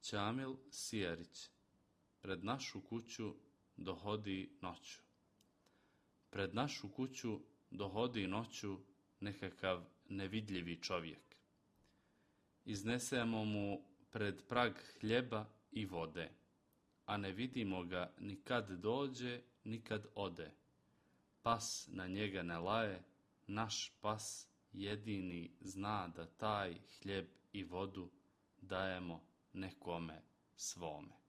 Ćamil Sijarić. Pred našu kuću dohodi noću. Pred našu kuću dohodi noću nekakav nevidljivi čovjek. Iznesemo mu pred prag hljeba i vode, a ne vidimo ga ni kad dođe, ni kad ode. Pas na njega ne laje, naš pas jedini zna da taj hljeb i vodu dajemo nekome svome.